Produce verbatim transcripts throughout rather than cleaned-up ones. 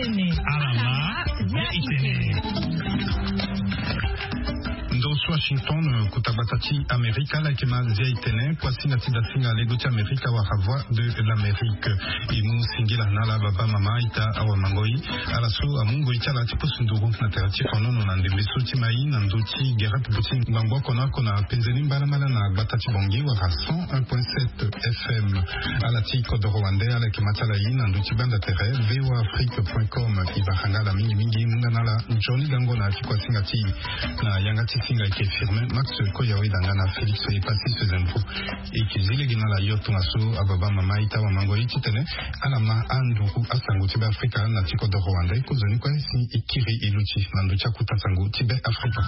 Alama, ya itene. Ndo so Washington, kota gbata ti Amerika, ala yeke ma zia itene, kuasinga ti dasinga lego ti Amerika wala Voix de l'Amérique. E mu singila na ala baba, mama, ita, awa, mangoi, ala so amu ngoi ti ala ti pusu nduru na tere ti konono na ndembe so ti mai na ndö ti gere popo ti ngbangbo oko na oko na penze ni mbalambala na gbata ti Bangui wala cent un point sept F M. Ala ti kodoro wande, ala yeke ma ti ala ye na ndö ti banda tere V O A Afrique point com. E bara nga ala mingi mingi, mu nga na ala nzoni gango na ya ti kuasinga ti e. Na yanga ti singa e yeke Firmin Max Koyawe, danga na Félix Epassis Zemfo. E yeke zi lege na ala yo tongaso, ababa, mama, ita, awa, mangoi, titene ala ma anduru asango ti Be Afrika na ti kodoro wande. Kozoni kue si e kiri e luti na ndö ti akota sango ti Be Afrika.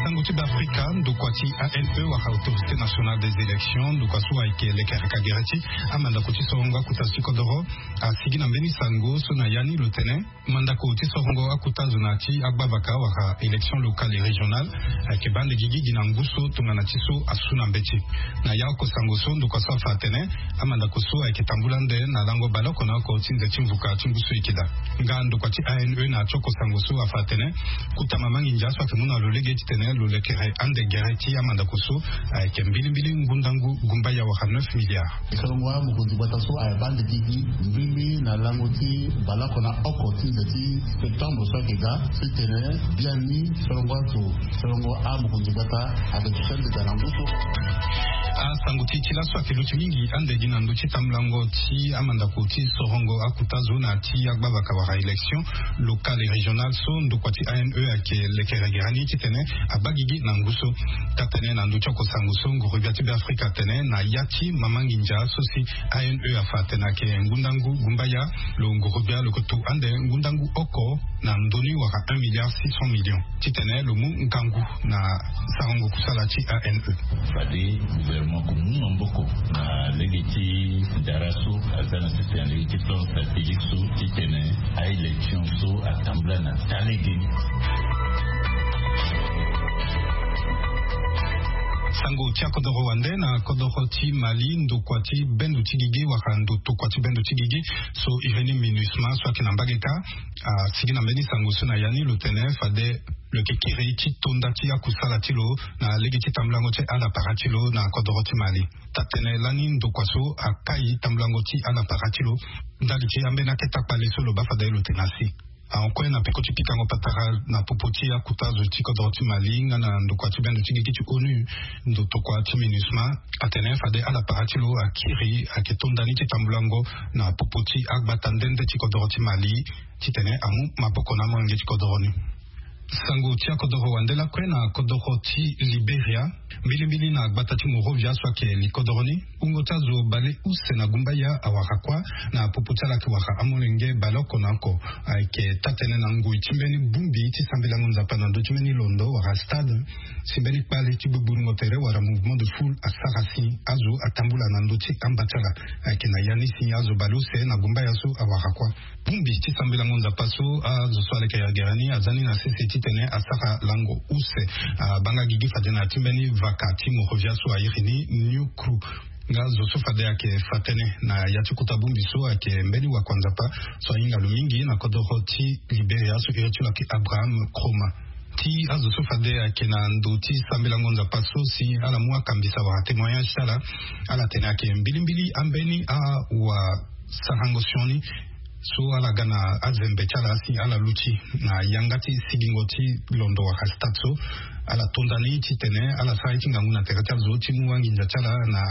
Sango ti Be Afrika, ndokua ti A N E wala Autorité Nationale des Élections, ndokua so ayeke lekereka gere ti amandako ti sorongo akota zo ti kodoro, asigi na mbeni sango so na ya ni lo tene mandako ti sorongo akota zo na ti agbavaka wala élection locale et régionale ayeke baa ande gigi gi na ngu so tongana ti so asu na mbeti. Na ya oko sango so, ndokua so afa atene amandako so ayeke tambula ande na lango baleoko na oko ti nze ti mvuka ti ngu so e yeke daa. Nga ndokua ti A N E na ya ti oko sango so afa atene kota mama nginza so ayeke mu na lo lege titene lo lekere ande gere ti amandako so ayeke mbilimbili ngundangu gumbaya wala neuf milliards. Solongo amokonzi gbata so ayeke baa ande gigi mbilimbili na lango ti baleoko na oko ti nze ti septembre so ayeke daa, titene biani solongo azo, solongo amokonzi gbata ayeke duti ande daa na ngu so. Asango ti e ti laso ayeke luti mingi ande gi na ndö ti tambulango ti amandako ti sorongo akota zo na ti agbavaka wala élection locale et régionale so ndokua ti A N E ayeke lekere gere ni titene abaa gigi na ngu so. Taa-tënë na ndö ti oko sango so, nguru-gbia ti Be Afrika atene na ya ti mama nginza so si A N E afa atene ayeke ngundangu gumbaya, lo nguru-gbia lo yeke to ande ngundangu oko na ndö ni wala un milliard six cent millions titene lo mu ngangu na sarango kusala ti A N E. Fade gouvernement akomu maboko na lege ti ndara so aza na sese na lege ti plan stratégique so titene a-élection so atambula na taa lege ni. Sango ti akodoro wande na kodoro ti Mali, ndokua ti bendo ti gigi wala ndo tokua ti bendo ti gigi so iri ni MINUSMA so ayeke na mbage kâ, asigi na mbeni sango so na ya ni lo tene fade lo yeke kiri ti tonda ti akusala ti lo na lege ti tambulango ti ala para ti lo na kodoro ti Mali. Taa-tënë lani ndokua so akai tambulango ti ala para ti lo ndali ti ambeni aketa kpale so lo baa fade lo tene asi. Ahon kue na peko ti pikango patara na popo ti akota zo ti kodoro ti Mali nga na ndokua ti bendo ti gigi ti ONU, ndo tokua ti MINUSMA, atene fade ala para ti lo akiri ayeke tonda ni ti tambulango na popo ti agbata nde nde ti kodoro ti Mali titene amu maboko na amolenge ti kodoro ni. Sango ti akodoro wande lakue na kodoro ti Liberia, mbilimbili na gbata ti Monrovia so ayeke li kodoro ni. Wungo ti azo baleuse na gumbaya awara kuâ na popo ti ala ayeke wara amolenge baleoko na oko. Ayeke taa-tënë na ngoi ti mbeni bongbi ti sambelango Nzapa na ndö ti mbeni londo wala stade, si mbeni kpale ti gbugbulungo tere wala mouvement de foule asara si azo atambula na ndö ti amba ti ala. Ayeke na ya ni si azo baleuse na gumbaya so awara kuâ. Bongbi ti sambelango Nzapa so azo so aleke gere ni aza ni na sese titene asara lango use. Abaa nga gigi fade na ya ti mbeni vaka ti Monrovia so airi ni New Crew. Nga zo so fade ayeke fa tënë na ya ti kota bongbi so ayeke mbeni wakua Nzapa so ahinga lo mingi na kodoro ti Liberia so iri ti lo ayeke Abraham Cromer. Ti azo so fade ayeke na ndo ti sambelango Nzapa so si ala mu akambisa wala témoignage ti ala, ala tene ayeke mbilimbili ambeni awasarango sioni so ala ga na azembe ti ala si ala luti na yanga ti sigingo ti londo wala stade so. Ala tonda ni titene ala sara ye ti ngangu na tere ti azo ti mu anginza ti ala na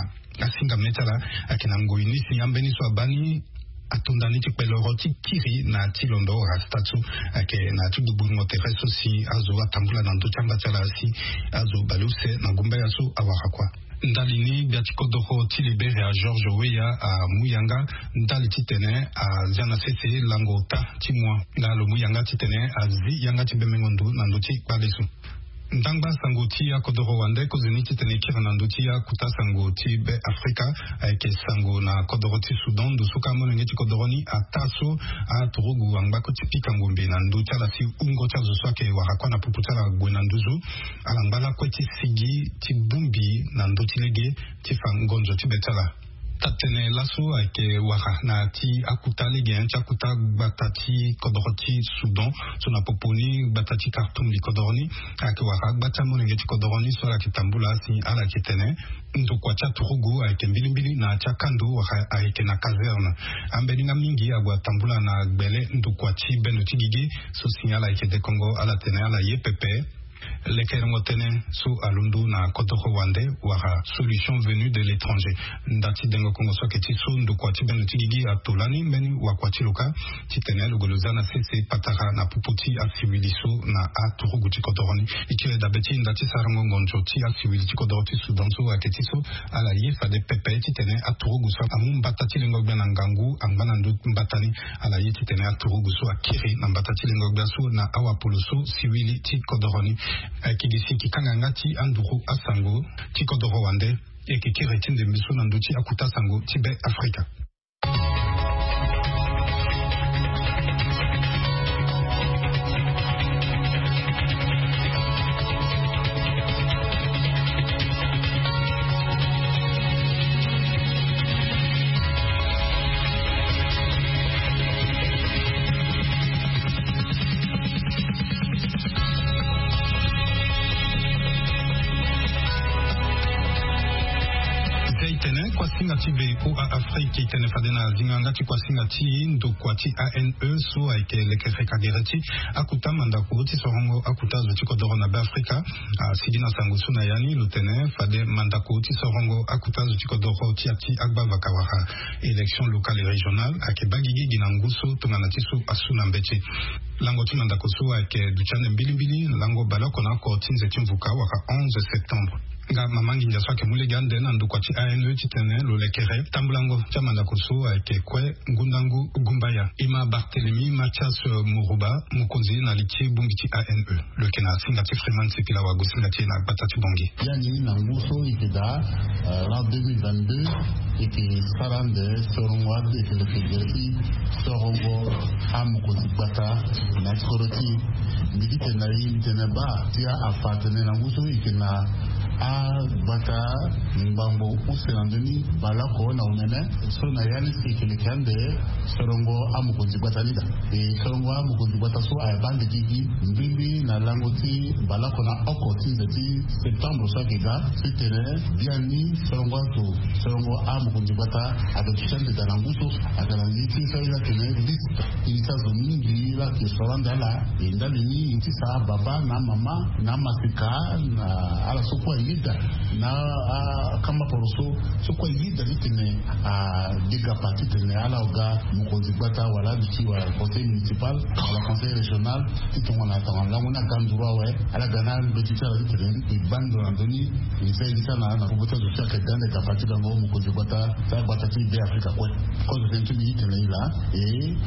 asinga mê ti ala. Ayeke na ngoi ni si ambeni so abaa ni atonda ni ti kpeloro ti kiri na ti londo wala stade so. Ayeke na ti gbugbulungo tere so si azo atambula na ndö ti amba ti ala si azo baleuse na gumbaya so awara kuâ. Ndali ni gbia ti kodoro ti Liberia George Weah amu yanga ndali titene azia na sese lango ota ti mua nga lo mu yanga titene azi yanga ti bemengo ndo na ndö ti kpale so. Ndangba sango ti akodoro wande, kozoni titene e kiri na ndö ti akota sango ti Be Afrika, ayeke sango na kodoro ti Soudan, ndo so ka molenge ti kodoro ni ataa so aturugu angba kue ti pika ngombe na ndö ti ala si wungo ti azo so ayeke wara kuâ na popo ti ala ague na nduzu. Ala ngba lakue ti sigi ti bongbi na ndö ti lege ti fa ngonzo ti be ti ala. Taa-tene laso ayeke wara na ya ti akuta lege ti akuta gbata ti kodoro ti Soudan so na popo ni gbata ti Khartoum li kodoro ni. Ayeke wara agba ti amolenge ti kodoro ni so ala yeke tambula asi ala yeke tene ndokua ti aturugu ayeke mbilimbili na ya ti akando wala ayeke na caserne. Ambeni nga mingi ague atambula na gbele ndokua ti bendo ti gigi so si ala yeke dekongo ala tene ala ye pepe. Lekerengo tënë so alondo na kodoro wande wala solution venue de l'étranger. Nda ti dengo kongo so ayeke ti so ndokua ti bendo ti gigi ato lani mbeni wakua ti lo kâ titene lo gue lo za na sese patara na popo ti asiwili so na aturugu ti kodoro ni. E tire dabe ti nda ti sarango ngonzo ti asiwili ti kodoro ti Soudan so ayeke ti so ala ye fade pepe titene aturugu so amu mbata ti lengo gbia na ngangu angba na ndö mbata ni. Ala ye titene aturugu so akiri na mbata ti lengo gbia so na awapolo so siwili ti kodoro ni. Ayeke gi si e yeke kanga yanga ti anduru asango ti kodoro wande. E yeke kiri ti ndembe so na ndö ti akuta sango ti Be Afrika. Zia e tene kuasinga ti V O A Afrique e tene fade na zinga yanga ti kuasinga ti ndokua ti A N E so ayeke lekere kagere ti akuta mandako ti sorongo akuta zo ti kodoro na Be Afrika. Asigi na sango so na ya ni lo tene fade mandako ti sorongo akuta zo ti kodoro ti ya ti agba vakawara élection locale et régionale ayeke baa gigi gi na ngu so tongana ti so asu na mbeti. Lango ti mandako so ayeke duti ande mbilimbili lango baleoko na oko ti nze ti mvuka wala onze septembre. Nga mama nginza so ayeke mu lege ande na ndokua ti A N E titene lo lekere tambulango ti amandako so ayeke kue ngundangu gumbaya. E ma Barthélemy Mathias Moroba, mokonzi na li ti bongbi ti A N E. Lo yeke na singa ti Freeman Sipila wagosinga ti e na gbata ti Bangui. Biani na ngu so e yeke daa, euh, na deux mille vingt-deux, e yeke sara ande sorongo ade e yeke leke gere ti sorongo amokonzi gbata na ya ti kodro ti e. Mbi gi tene na e, mbi tene baa ti afa atene na ngu so e yeke na agbata ngbangbo use na ndö ni baleoko na omene. So na ya ni si e yeke leke ande sorongo amokonzi gbata ni daa. E sorongo amokonzi gbata so ayeke baa ande gigi mbirimbi na lango ti baleoko na oko ti nze ti septembre so ayeke ga. So e tene biani sorongo azo, sorongo amokonzi gbata ayeke duti ande daa na ngu so. Ayeke na li ti so aye atene liste. E liste azo mingi la ayeke soro ande ala. E ndali ni e ti sa ababa na amama na amaseka na ala so kue ayeda na akamba poro so, so kue ayeda titene adega pa titene ala ga mokonzi gbata wala aduti wala conseil municipal wala conseil régional ti tongana tongana lango ni aga nduru awe. Ala ga na mbeti ti ala titene e baa ndo na ndö ni. E za e liste ala na popo ti azo so ayeke ga ande ga pa ti gango mokonzi gbata ti agbata ti Be Afrika kue. Kozo tënë ti mbi ti tene e laa. E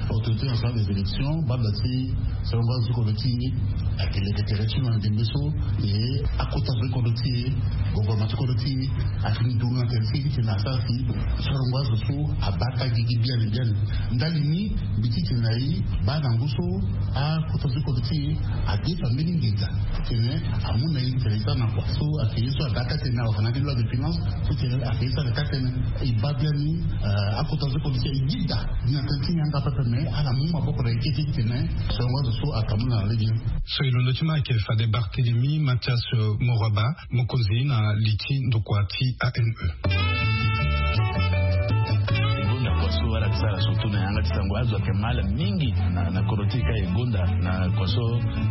autorité nationale des élections banda ti sorongo azo ti kodro ti e ayeke leke tere ti lo na ndembe so. E akota zo ti kodro ti e, gouvernement ti kodro ti e ayeke ni duru na tere ti e titene asara si sorongo azo so abaa taa gigi biani biani. Ndali ni mbi ti tene na e baa na ngu so akota zo ti kodro ti e adefa mbeni nginza titene amu na e titene e sara na kua so ayeke ye so aga taa tënë awe fa na ya ti loi de finance. Titene ayeke ye so aga taa tënë. E baa biani, euh, akota zo ti kodro ti e yeda. Ni na tënë ti yanga pepe me ala mu maboko na e kete titene sorongo azo so aka mu na lege ni. So e londo ti ma ayeke fade Barthélemy Mathias, euh, Moroba, mokonzi na li ti ndokua ti A N E. E gonda kua so ala yeke sara surtout na yanga ti sango azo ayeke mal mingi na, na kodro ti e ka e gonda na kua so,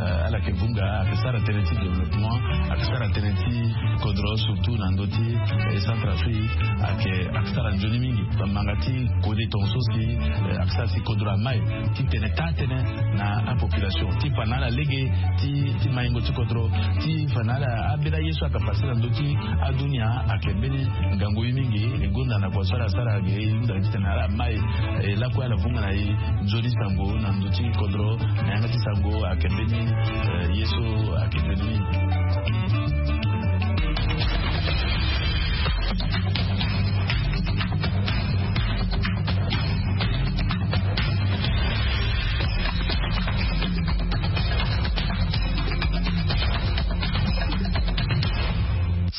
euh, ala yeke vunga, ayeke sara tënë ti développement, ayeke sara tënë ti kodro surtout na ndö ti, eh, Centrafrique, ayeke, ayeke sara nzoni mingi. Bamanga ti kode tongaso si, eh, ayeke sara si kodro amai ti tene taa tënë na apopulation ti fa na ala lege ti, ti maingo ti kodro, ti fa na ala ambeni aye so ayeke pase na ndö ti adunia. Ayeke mbeni ngangu ye mingi. E gonda na kua so ala sara ge e hunda titene ala mai, eh, lakue ala vunga na e nzoni sango na ndö ti kodro. Na yanga ti sango ayeke mbeni, eh, ye so ayeke mbeni mingi.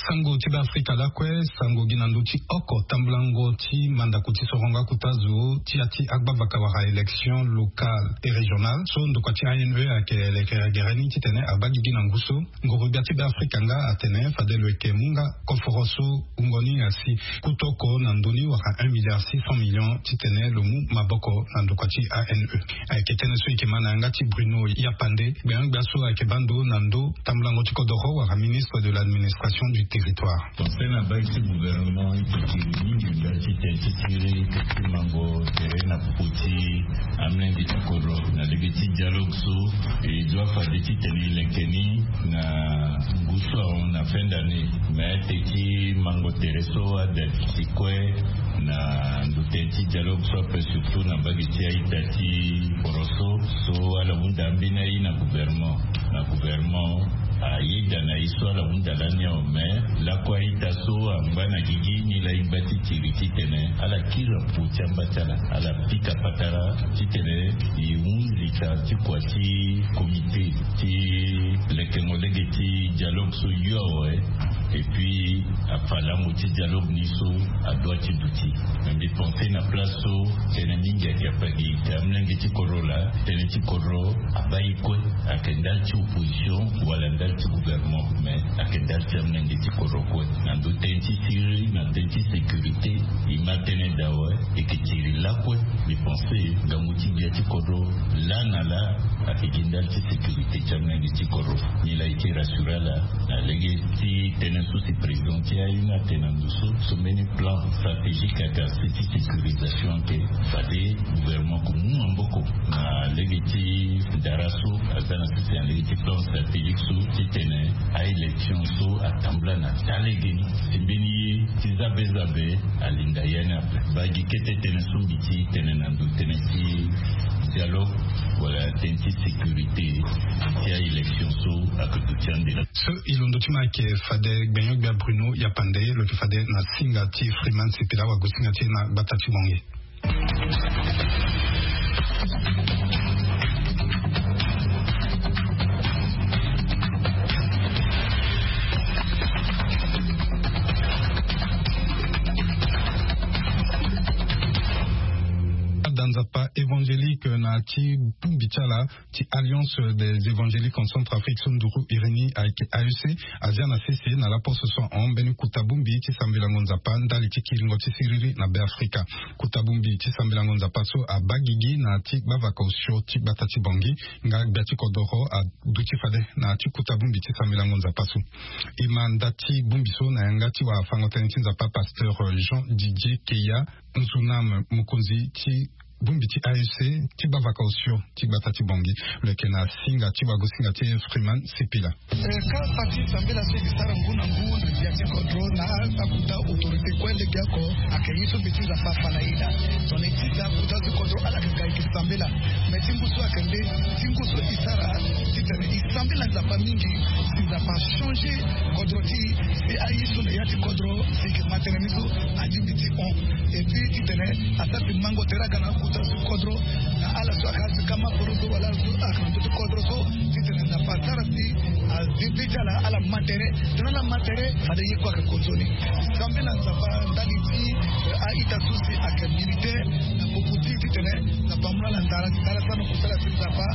Sango. Ti Beafrika lakue, sango gi na ndö ti oko tambulango ti mandako ti sorongo akuta zo ti ya ti agbavaka wala élection locale et régionale so ndokua ti A N E ayeke lekere gere ni titene abaa gigi na ngu so. Nguru-gbia ti Beafrika nga atene fade lo yeke mu nga koforo so wungo ni asi kuta oko na ndö ni wala un milliard six cent millions titene lo mu maboko na ndokua ti A N E. Ayeke tënë so e yeke ma na yanga ti Bruno Yapande, gbenyo-gbia so ayeke baa ndo na ndö tambulango ti kodoro wala ministre de l'administration du territoire. Conseil na baa ti gouvernement e yeke kiri mingi ndali ti tene ti siriri ti mango tere na popo ti amolenge ti kodro na lege ti dialogue so e doit fade titene e leke ni na ngu so ahon na fin d'année. Mais ate ti mango tere so ada ti kue na ndo tënë ti dialogue so ape, surtout na mbage ti a-ita ti Boroso so ala hunda ambeni aye na gouvernement, na gouvernement ayeda na ye so ala hunda lani awe. Mais lakue a-ita so angba na gigi ni laa e ngba ti kiri titene ala kiri na popo ti amba ti ala, ala pika patara titene e hunzi ka ti kua ti comité ti lekengo lege ti dialogue so yo awe. Et puis afa lango ti dialogue ni so adoit ti duti. Mais mbi pense na place so tënë mingi ayeke ape gi te amolenge ti kodro laa, tënë ti kodro abaa e kue. Ayeke ndali ti opposition wala ndali ti gouvernement, mais ayeke ndali ti amolenge ti kodro kue. Na ndo tënë ti siriri na tënë ti sécurité e ma tënë daa awe. E yeke kiri lakue. Mbi pense ngangu ti gbia ti kodro laa na laa ayeke gi ndali ti sécurité ti amolenge ti kodro. Ni laa e ti rassure ala na lege ti tënë so si président ti aye ni atene na ndo so, so mbeni plan stratégique ayeke asi ti sécurisation ayeke fade gouvernement amu maboko na lege ti ndara so aza na sese na lege ti plan stratégique so titene a-élection so atambula na taa lege ni. Si mbeni ye ti zabe zabe alinda ya ni ape. Baa gi kete tënë so mbi ti tene na ndo tënë ti dialogue wala tënë ti sécurité ti a-élection so ayeke duti ande na so e londo ti ma ayeke fade gbenyo-gbia Bruno Yapande, lo yeke fade na singa ti Freeman Sipila wagosinga ti e na gbata ti Bangui. Ada nzapa évangélique na ti bongbi ti ala ti Alliance des évangéliques en Centrafrique so nduru iri ni ayeke A E C, azia na sese na laposo so ahon mbeni kota bongbi ti sambelango nzapa ndali ti kiringo ti siriri na Beafrika. Kota bongbi ti sambelango nzapa so abaa gigi na ti gbavaka osio ti gbata ti Bangui, nga gbia ti kodoro aduti fade na ti kota bongbi ti sambelango nzapa so. E ma nda ti bongbi so na yanga ti wafango-tënë ti nzapa pasteur Jean Didier Keya Nzunam, mokonzi ti bongbi ti A E C ti gbavaka osio ti gbata ti Bangui. Lo yeke na singa ti wagosinga ti Freeman Sipila. Eh, kapa ti sambela so e ke sara ngu na ngu na gbia ti kodro na akota autorité kue lege oko, ayeke ye so mbi ti Nzapa afa na e laa. Tongana e ti da akota ti kodro ala yeke ga e ke sambela. Mais ti ngu so ayeke nde ti ngu so e sara titene e sambela Nzapa mingi, si Nzapa achangé kodro ti e, si aye so na ya ti kodro si e ke ma tënë ni so alingbi ti hon. Et puis titene asara ti mango tere aga na akota so kodro na ala so ayeke asi kama poro so wala ala so ayeke na ndö ti kodro so, titene Nzapa asara si azipi ti ala ala ma tere. Tongana ala ma tere fade ye kue ayeke konzo ni. Sambela Nzapa ndali ti, eh, a-ita so si ayeke militaire na popo ti titene Nzapa amu na ala ndara ti tara so na kusala si Nzapa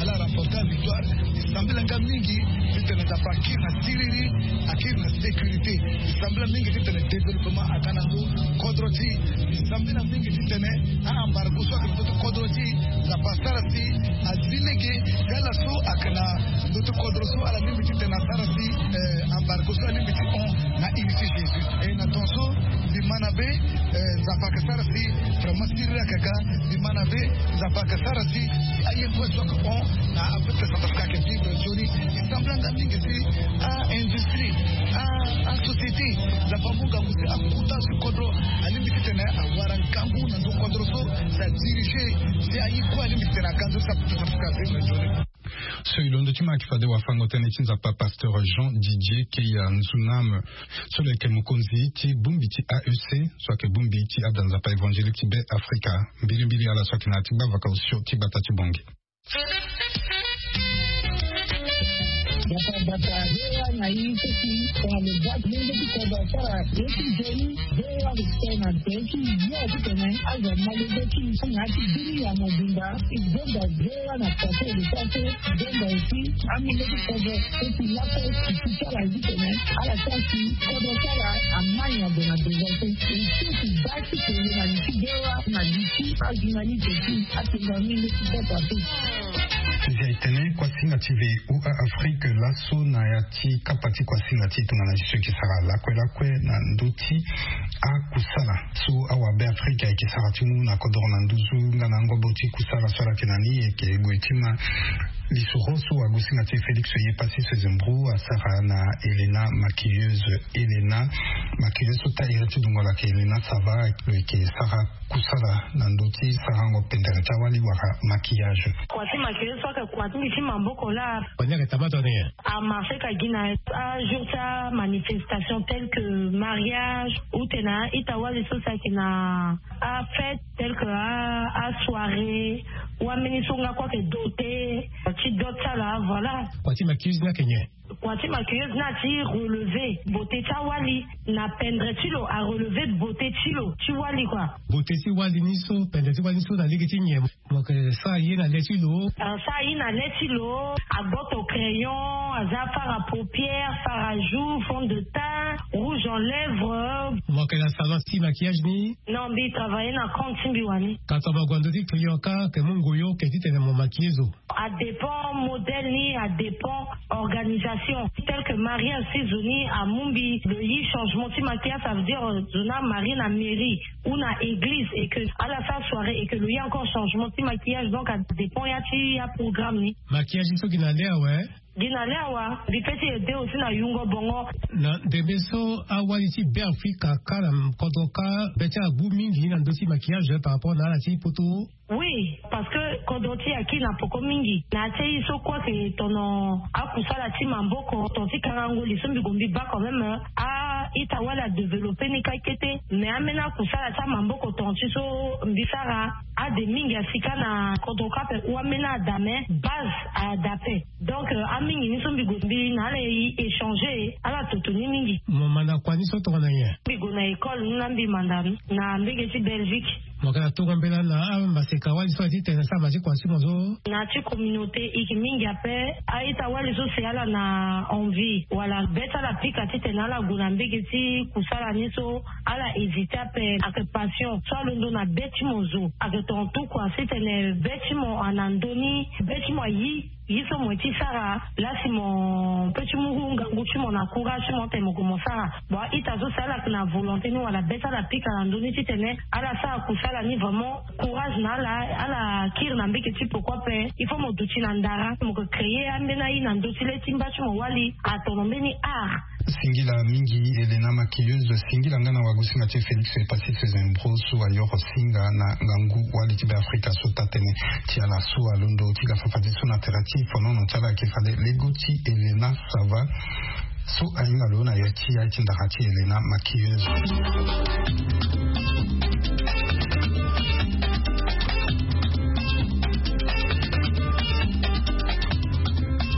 ala remporta victoire. E sambela nga mingi titene Nzapa akiri na siriri, akiri na sécurité. E sambela mingi titene développement aga na ndö kodro ti e. E sambela mingi titene a-embargo so ayeke na ndö ti kodro ti e, Nzapa asara si azi lege ti ala so ayeke na ndö ti kodro so ala lingbi titene asara si, eh, embargo so alingbi ti hon na iri ti Jésus. E na tongaso mbi ma na be, eh, Nzapa ayeke sara si vraiment siriri ayeke ga. Mbi ma na be Nzapa ayeke sara si aye kue so ayeke hon na Afrique Centrafricaine ayeke vivre nzoni. E sambela nga mingi si a-industrie, a, a-société, Nzapa amu ngangu si akota so kodro alingbi titene awara ngangu na ndö kodro so, si adirige si aye kue alingbi titene aga nzoni si Afrique Centrafricaine avivre nzoni. So e londo ti ma ayeke fade wafango-tënë ti Nzapa pasteur Jean Didier Keya Nzunam, so lo yeke mokonzi ti bongbi ti A E C, so ayeke bongbi ti ada Nzapa évangélique ti Beafrika. Mbilimbili ala so ayeke na ya ti gbavaka osio ti gbata ti Bangui. Bata bata, voa na i seki tongana lo bati lenge ti kodro asara ye ti nzoni. Voa lo tene na tene ti yo ti tene azo amale zo ti i so na ya ti biri ya mobimba. I zonza voa na poto lo sa so zonza eti amenge ti kodro. Eti laso ti ti sara ye ti tene ala sa si kodro sara amai na ndo na ndo so. I so ti ba ti tene na li ti voa na li ti ajournaliste ti atenga amenge ti kodro ape. Zia e tene kuasinga ti V O A Afrique laso na ya ti kapa ti kuasinga ti tongana ti so e yeke sara lakue lakue na ndö ti akusala so awabe Afrika e yeke sara ti mu na kodoro na nduzu nga na ngobo ti kusala so ala yeke na ni e yeke gue ti ma lisoro so agosinga ti e Félix Yepassi Sezembro asara na Helena maquilleuse. Helena maquilleuse so ta iri ti dungo ala yeke Helena Sava lo yeke sara kusala na ndö ti sarango pendere ti awali wala maquillage. Kua ti maquillage so ayeke kua ti mbi ti maboko laa. Kua ni ayeke taa mato ni. Amarché ka gi na ajour ti amanifestation tel que mariage ou tena ita wali so si ayeke na afête tel que asoirée ou ambeni so nga kue ayeke doté ti dot ti ala, voilà. Kua ti maquilleuse ni ayeke nyen? Kua ti maquilleuse ni ati relever beauté ti awali na pendre ti lo, arelever beauté ti lo ti wali kua. Beauté ti wali ni so, pendre ti wali ni so na lege ti nyen? Mo yeke sara ye na le ti lo. Asara ye na le ti lo, agoto crayon, aza fard à paupières, fard à joues, fond de teint, rouge en lèvres. Mo yeke na salon ti maquillage ni? Non, mbi travailler na compte ti mbi wani. Ka tongana mo gue na ndö ti client ka ayeke mu ngoi oke titene mo maquiller zo? Adépend modèle ni, adépend organisation. Tel que mariage ti zo ni amu mbi lo yi changement ti maquillage, ça veut dire zo ni amarié na mairie ou na église et que ala sara soirée et que lo yi encore changement ti maquillage, donc adépend ya ti aprogramme ni. Maquillage ni so gi na le awe? Gi na le awa, mbi pe ti aidé aussi na yungo bongo. Na ndembe so awali ti Beafrika ka na kodro ka be ti ala gbu mingi na ndö ti maquillage par rapport na ala ti poto? Oui, parce que kodro ti e akiri na poko mingi. Na ya ti aye so kue ayeke tono akusala ti maboko, ton ti karango li so mbi gue mbi baa quand même a-ita wali adéveloppé ni kâ kete. Mais ambeni akusala ti amaboko ton ti so mbi sara ade mingi asi kâ na kodro kâ ape ou ambeni ada mais base ada ape. Donc euh, amingi ni so mbi gue mbi na ala e échanger ala toto ni mingi. Mo manda kua ni so tongana nyen? Mbi gue na école ni la mbi manda ni na mbege ti Belgique. Mo yeke na tongo mbela na amaseka wali so aye titene asara ma ti kua ti mo so? Na ya ti communauté e yeke mingi ape. A-ita wali so si ala na envie wala be ti ala pika titene ala gue na mbege ti kusala ni so ala hésité ape. Ayeke passion so alondo na be ti mo zo. Ayeke tonga tout kua titene be ti mo ana ndö ni, be ti mo ayi ye so mo ye ti sara. Lasi mo pe ti mu ngangu ti mo na courage ti mo tene mo gue mo sara. Bon, a-ita so si ala yeke na volonté ni wala be ti ala pika na ndö ni titene ala sara kusala ni vraiment, courage na ala. Ala kiri na mbege ti poko ape. Il faut mo duti na ndara, mo yeke créer ambeni aye na ndö ti le ti mba ti mo wali atono mbeni art. Singila mingi Helena maquilleuse, singila nga na wagosinga ti Félix Passy Sezembro so ayoro singa na ngangu wali ti Beafrika so taa tënë ti ala so alondo ti ga fafadeso na tere ti fonono ti ala ayeke fade lego ti Helena Sava so ahinga lo na ya ti aye ti ndara ti Helena maquilleuse.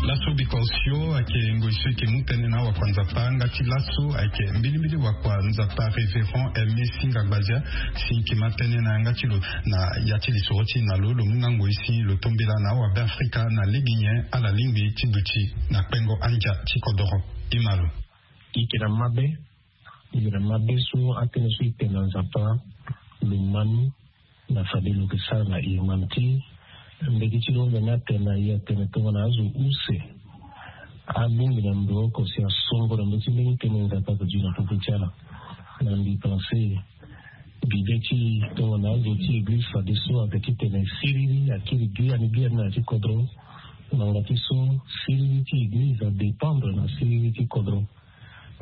Laso biko osio ayeke ngoi so e yeke mu tënë na awakuanzapa nga ti laso ayeke mbilimbili wakuanzapa Révérend Aimé Singa Gbazia si e yeke ma tënë na yanga ti lo na ya ti lisoro ti e na lo. Lo mu nga ngoi si lo tombela na awabeafrika na lege nyen ala lingbi ti duti na kpengo andia ti kodoro. E ma lo. E yeke na mabe, e yeke na mabe so atënë so e tene na Nzapa lo ma ni. Na fade lo yeke sara na humanité. Mbeti ti lo honza ni atene na e atene tongana azo use abongbi na ndo oko si asongo na ndö ti mbeni tënë Nzapa ayeke duti na popo ti ala. Na mbi pense bibe ti e tongana azo ti église fadeso ayeke titene siriri akiri gi ani gi ani na ya ti kodro. Ngbanga ti so siriri ti église adépendre na siriri ti kodro.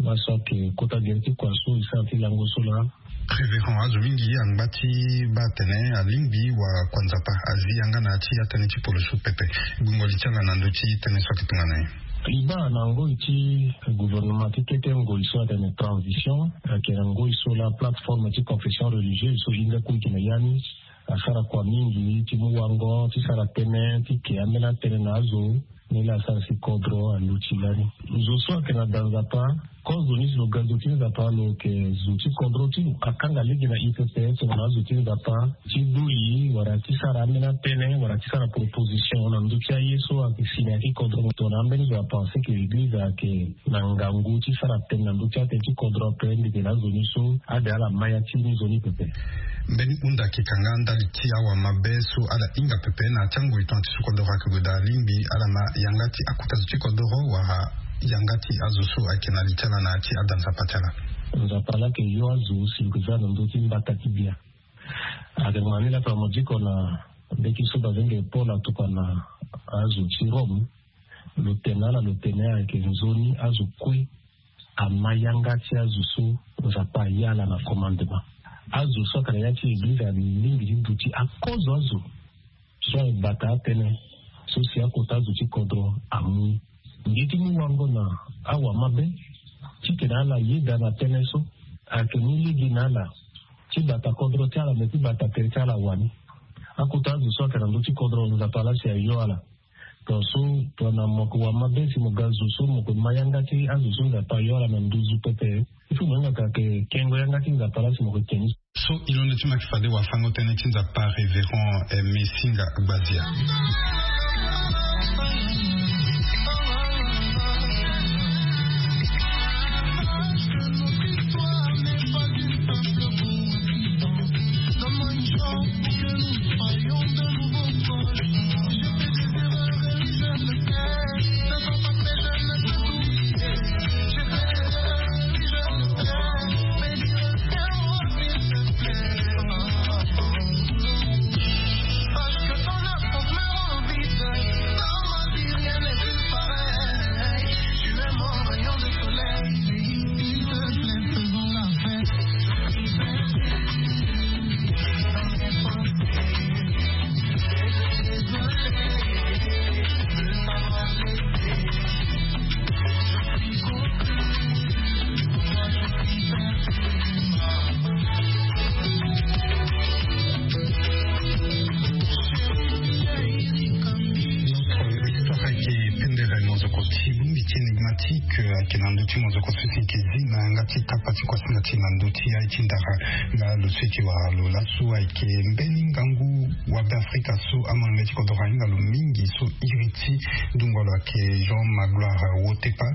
Laso ayeke kota gere ti kua so e sara ti lango so laa. Révérend, azo mingi angba ti baa atene alingbi wakuanzapa azi yanga na ya ti atënë ti poloso pepe. Gbungo li ti ala na ndö ti tënë so ayeke tongana nyen? E baa na ngoi ti gouvernement ti kete ngoi so atene transition ayeke na ngoi so laa plateforme ti confession religieuse so e hinga kue e yeke na ya ni asara kua mingi ti mu wango ti sara tënë ti ke ambeni atënë na azo. Ni laa asara si kodro aluti lani. Zo so ayeke na da nzapa, kozo ni si lo ga zo ti nzapa, lo yeke zo ti kodro ti lo. Akanga lege na I P P S, lo na azo ti nzapa ti dui wala ti sara ambeni atene wala ti sara proposition na ndö ti aye so ayeke si na ya ti kodro. Tongana ambeni zo apense ke eglize ayeke na ngangu ti sara tënë na ndö ti atene ti kodro ape, mbi yeke na azo ni so ade ala ma ya ti ni zo ni pepe. Mbeni hunda ayeke kanga ndali ti awamabe so ala hinga pepe na ya ti angoi tongana ti so kodro ayeke gue daa lingbi ala ma yanga ti akota zo ti kodro wala yanga ti azo so ayeke na li ti ala na ya ti ada nzapa ti ala. Nzapa laa ayeke yo azo si lo yeke za na ndö ti mbata ti bia. Ayeke ma ni laa tongana mo diko na mbeti so bazengeli Paul atokua na azo ti Rome. Lo tene na ala, lo tene ayeke nzoni azo kue ama yanga ti azo so Nzapa aya ala na commandement. Azo so ayeke na ya ti eglize alingbi ti duti akozo azo so aye bata atënë so si akota azo ti kodro amu. Ngi ti mu wango na awamabe titene ala yeda na tënë so ayeke mu lege na ala ti bata kodro ti ala me ti bata tere ti ala wani. Akota azo so ayeke na ndö ti kodro Nzapa laa si ayo ala. Tongaso tongana mo yeke wamabe si mo ga zo so mo yeke ma yanga ti azo so Nzapa ayo ala na nduzu pepe. Il faut mo hinga ka yeke kengo yanga ti Nzapa laa si mo yeke ke ni. So e londo ti mo ayeke fade wafango tënë ti Nzapa, Révérend Aimé Singa Gbazia. Notre histoire ayeke pendere mozoko ti bongbi ti énigmatique, ayeke na ndö ti mozoko so si yeke zi na yanga ti kapa ti kuasinga ti na ndö ti aye ti ndara. Nga lo so yeke wara lo laso ayeke mbeni ngangu wa Beafrika so amolenge ti kodro ahinga lo mingi so iri ti ndungo lo ayeke Jean Magloire Wotepa,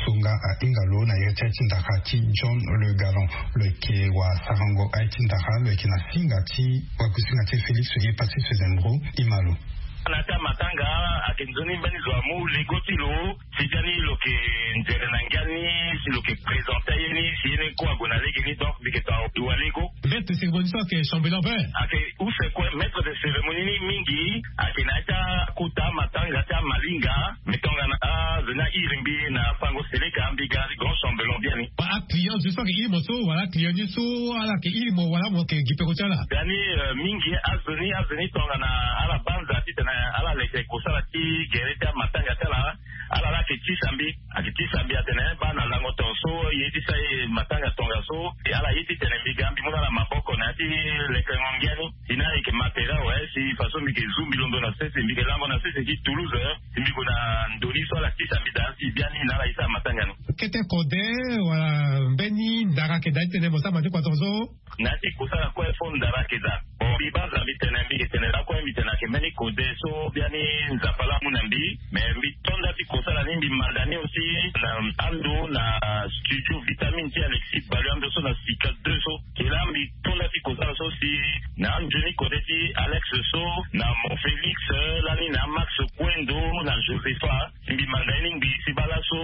so nga ahinga lo na iri ti aye ti ndara ti John Le Galant. Lo yeke wasarango aye ti ndara, lo yeke na singa ti wakusinga ti Félix Oye Patrice Zembro. Ima lo. Na ya ti amatanga ayeke nzoni mbeni zo amu lego ti lo si biani lo yeke nzere na ngia ni, si lo yeke présente aye ni si ye ni kue ague na lege ni. Donc mbi yeke to awa lego. Maître de cérémonie so ayeke chambellan vert. Ayeke use kue maître de cérémonie ni mingi ayeke na ya ti akota amatanga ti amalinga. Mbi tongana azo ni airi mbi na fango seleka, mbi ga grand chambellan biani. Ba aclient so ayeke iri mo so wala aclient ni so ala yeke iri mo wala mo yeke gi peko ti ala? Biani, euh, mingi azo ni, azo ni tongana ala banza titene ala leke kosala ti gere ti amatanga ti ala. Ala laa ayeke tisa mbi, ayeke tisa mbi atene baa na lango tongaso ye ti sa ye matanga tongaso. E ala ye titene mbi ga mbi mu na ala maboko na ya ti lekengo ngia ni. Si na ala yeke ma tere awe, si faso mbi yeke zu mbi londo na sese, mbi yeke lango na sese ti Toulouse, si mbi gue na ndo ni so ala tisa mbi daa si biani na ala ye ti amatanga ni. Kete kode wala mbeni ndara ayeke daa titene mo sara mati kua tongaso? Na ya ti kosala kue fo ndara ayeke daa. Bon, mbi banza mbi tene, mbi yeke tene lakue mbi tene ayeke mbeni kode so biani Nzapa laa amu na mbi. Mais mbi to nda ti kosala ni mbi manda ni aussi na ando na studio Vitamine ti Alexis Balu ando so na Sika deux so. Ke laa mbi to nda ti kosala so si na anzoni kode ti Alex so na Mon Félix, lani na Max Kuendo na Josepha. Si mbi manda ye ni ngbii si baa laso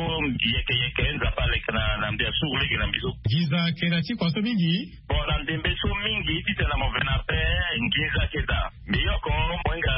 yeke yeke Nzapa aleke na, na mbi asuru lege na mbi so. Nginza ayeke na ti kua so mingi. Bon, na ndembe so mingi titene na mo ve na ape nginza ayeke daa. Mbi yoko mo hinga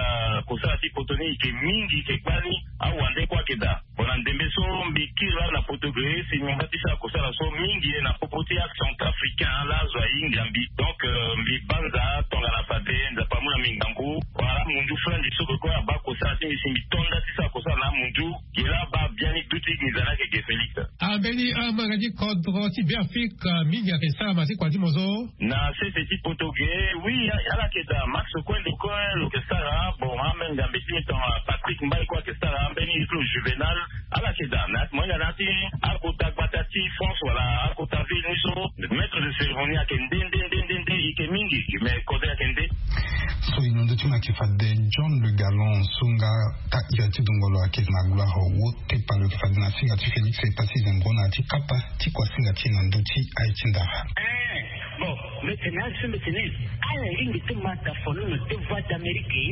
kosala ti poto ni yeke mingi yeke kpani awande kue ayeke daa. Bon, na ndembe so mbi kiri laa na poto ge si mbi ngba ti sara kosala so mingi ye na popo ti acentrafricain laa azo ahinga mbi. Donc, euh, mbi banza tongana fade Nzapa amu na mbi ngangu. Wala mundu flanzi so ke kue abaa kosala ti mbi si mbi to nda ti sara kosala na amundu. Ge laa abaa biani duti nginza ni ayeke ge Félix. Ambeni amanga ti kodro ti Beafrika mingi ayeke sara ma ti kua ti mo so. Na sese ti poto ge. Oui, ala yeke daa. Max Kwendo kue lo yeke sara. Bon, amenga mbi ti mi tongana Patrick Mbaye kue ayeke sara. Ambeni ti lo Juvenal. Ala yeke daa. Mais mo hinga na ya ti akota gbata ti France wala akota ville ni so, maître de cérémonie ayeke nde nde nde nde nde. Ike mingi. Mais kozo ayeke nde. So ino ndo ti ma yeke fade John Le Gallon so nga ta ira ti dungolo ayeke na gloire wo. Tepa lo yeke fade na singa ti Félix Epassi Zembro na ya ti kapa ti kua singa ti na ndö ti aye ti ndara. Eh, bon, mbi tene aye so mbi tene ala lingbi ti ma da fono na deux voix d'Amérique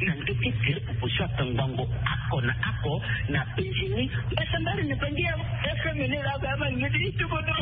na ndö ti gere proposition akangbango ako na ako na penzi ni. Mbasambari na bangi ya F M ni la ba ma ngedi ti bodo.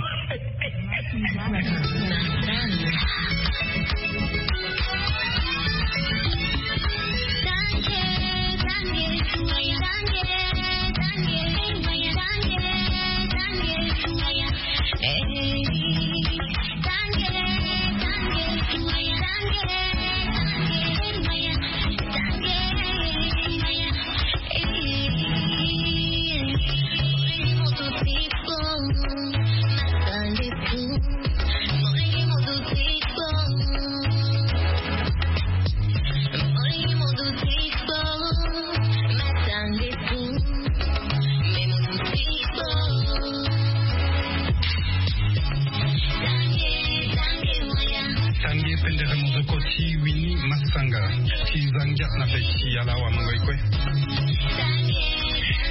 Tange pendere mozoko ti Winnie Massanga ti Zangia na be ti ala awa mango e kue.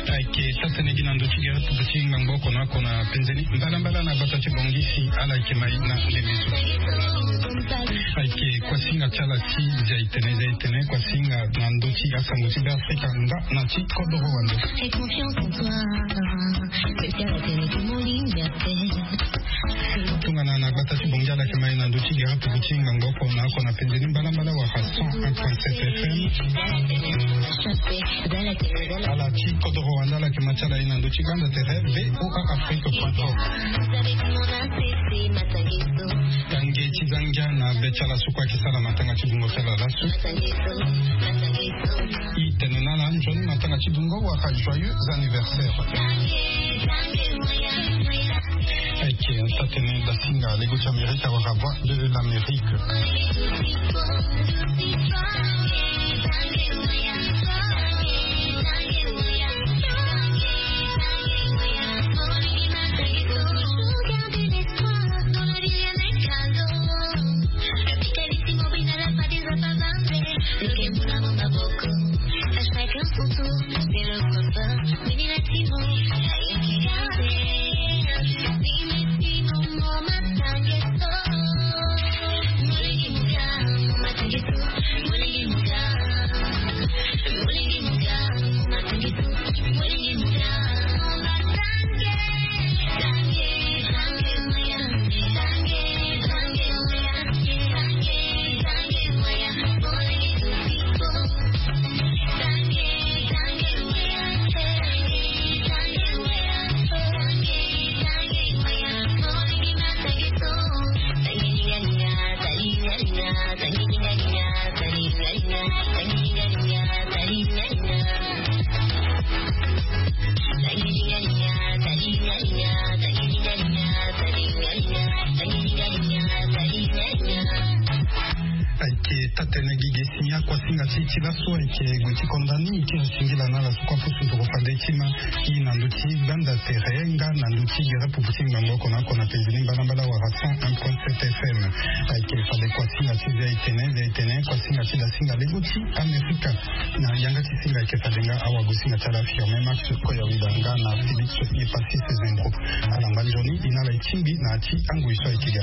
Ayeke taa-tënë gi na ndö ti gere pupu ti ngbangbo oko na oko na penze ni mbalambala na gbata ti Bongisi ala yeke mai na ndembe so. Ayeke kuasinga ti ala ti zia itene zia itene kuasinga na ndö ti asango ti Beafrika nga na ti kodoro wande. Tongana na gbata ti Bongi ala yeke mai na ndö ti gere pupu ti ngbangbo oko na oko na penze ni mbalambala wala cent un point sept F M. Ala ti kodoro wande ala yeke ma ti ala ye na ndö ti gbanda tere V O A Afrique point com. Tange ti Zangia na be ti ala so kue ayeke sara matanga ti dungo ti ala laso. E tene na ala nzoni matanga ti dungo wala joyeux anniversaire. Ayeke taa-tënë dasinga lego ti Amerika wala Voix de l'Amérique. Ayeke taa-tënë gi ge si ni akuasinga ti e ti laso ayeke gue ti konda ni ti singila na ala so kue apusu nduru fade ti ma. E na ndö ti gbanda tere nga na ndö ti gere pupu ti ngbangbo oko na oko na penze ni mbalambala wala cent un point sept F M. Ayeke fade kuasinga ti zia itene zia itene kuasinga ti dasinga lego ti Amerika. Na yanga ti singa ayeke fade nga awagosinga ti ala affirmé Max Koyawida nga na Félix Epassi Zembro. Ala ngba nzoni e na ala e tingbi na ya ti angoi so ayeke ga.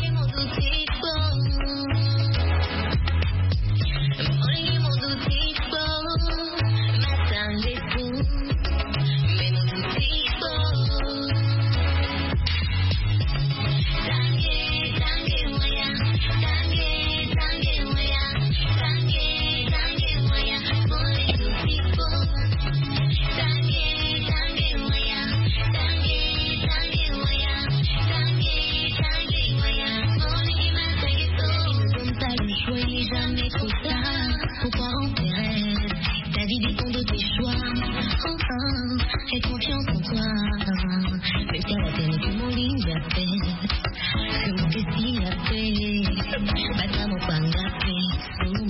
Jamais trop tard pour croire en tes rêves. Ta vie dépend de tes choix. Enfin, fais confiance